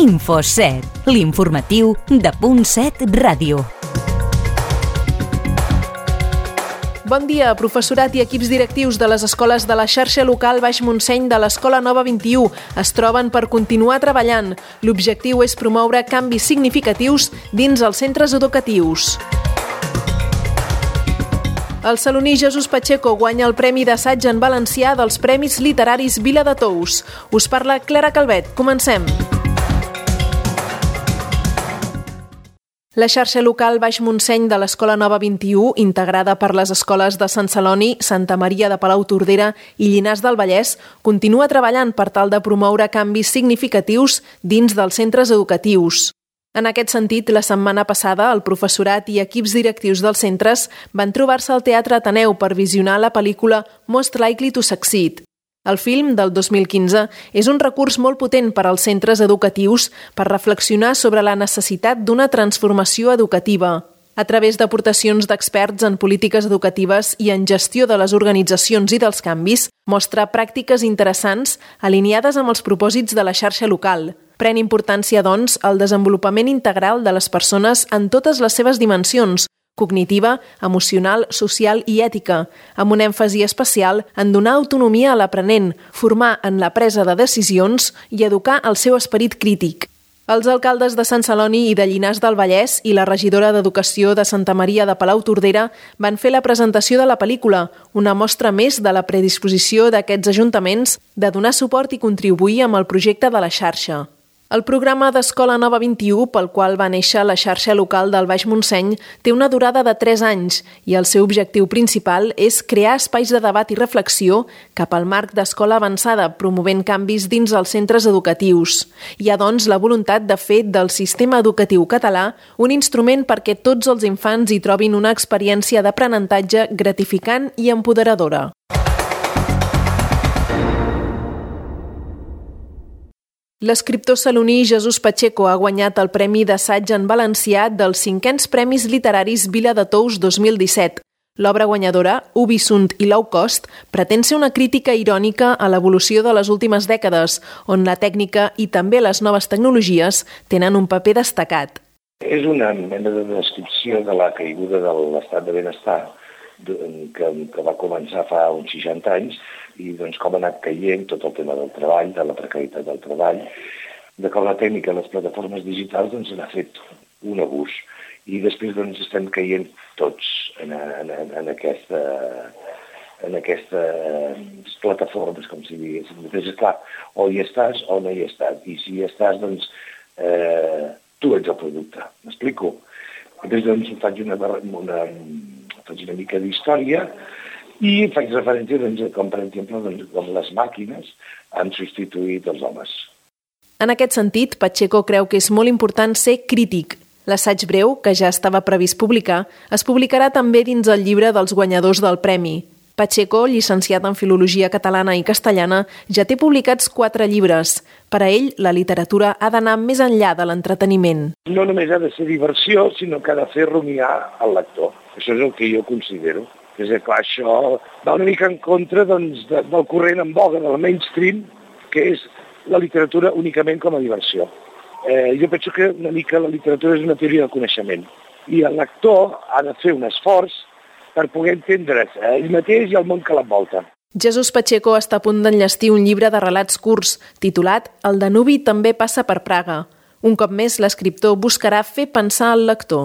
Info7, l'informatiu de Punt7 Ràdio. Bon dia, professorat i equips directius de les escoles de la xarxa local Baix Montseny de l'Escola Nova 21 es troben per continuar treballant. L'objectiu és promoure canvis significatius dins els centres educatius. El saloní Jesús Pacheco guanya el Premi d'Assaig en Valencià dels Premis Literaris Vila de Tous. Us parla Clara Calvet. Comencem. La xarxa local Baix Montseny de l'Escola Nova 21, integrada per les escoles de Sant Celoni, Santa Maria de Palautordera i Llinars del Vallès, continua treballant per tal de promoure canvis significatius dins dels centres educatius. En aquest sentit, la setmana passada, el professorat i equips directius dels centres van trobar-se al Teatre Ateneu per visionar la pel·lícula Most Likely to Succeed. El film, del 2015, és un recurs molt potent per als centres educatius per reflexionar sobre la necessitat d'una transformació educativa. A través d'aportacions d'experts en polítiques educatives i en gestió de les organitzacions i dels canvis, mostra pràctiques interessants alineades amb els propòsits de la xarxa local. Pren importància, doncs, el desenvolupament integral de les persones en totes les seves dimensions, cognitiva, emocional, social i ètica, amb un èmfasi especial en donar autonomia a l'aprenent, formar en la presa de decisions i educar el seu esperit crític. Els alcaldes de Sant Celoni i de Llinars del Vallès i la regidora d'Educació de Santa Maria de Palautordera van fer la presentació de la pel·lícula, una mostra més de la predisposició d'aquests ajuntaments de donar suport i contribuir amb el projecte de la xarxa. El programa d'Escola Nova 21, pel qual va néixer la xarxa local del Baix Montseny, té una durada de 3 anys i el seu objectiu principal és crear espais de debat i reflexió cap al marc d'escola avançada, promovent canvis dins els centres educatius. Hi ha, doncs, la voluntat de fer del sistema educatiu català un instrument perquè tots els infants hi trobin una experiència d'aprenentatge gratificant i empoderadora. L'escriptor saloní Jesús Pacheco ha guanyat el Premi d'Assaig en Valencià dels 5è Premis Literaris Vila de Tous 2017. L'obra guanyadora, Ubisunt i Low Cost, pretén ser una crítica irònica a l'evolució de les últimes dècades, on la tècnica i també les noves tecnologies tenen un paper destacat. És una mena de descripció de la caiguda de l'estat de benestar que va començar fa uns 60 anys i doncs, com ha anat caient tot el tema del treball, de la precarietat del treball, de com la tècnica de les plataformes digitals doncs, n'ha fet un abús. I després doncs, estem caient tots en aquestes plataformes, com si diguéssim. Després, clar, o hi estàs o no hi estàs. I si hi estàs, doncs, tu ets el producte. M'explico? Després doncs, faig una mica d'història i faig referència doncs, com, per exemple, doncs, com les màquines han substituït els homes. En aquest sentit, Pacheco creu que és molt important ser crític. L'assaig breu, que ja estava previst publicar, es publicarà també dins el llibre dels guanyadors del premi. Pacheco, llicenciat en Filologia Catalana i Castellana, ja té publicats 4 llibres. Per a ell, la literatura ha d'anar més enllà de l'entreteniment. No només ha de ser diversió, sinó que ha de fer rumiar el lector. Això és el que jo considero. És clar, això va una mica en contra doncs, del corrent en boga, del mainstream, que és la literatura únicament com a diversió. Jo penso que una mica la literatura és una teoria del coneixement i el lector ha de fer un esforç per poder entendre's ell mateix i el món que l'envolta. Jesús Pacheco està a punt d'enllestir un llibre de relats curts titulat El Danubi també passa per Praga. Un cop més, l'escriptor buscarà fer pensar el lector.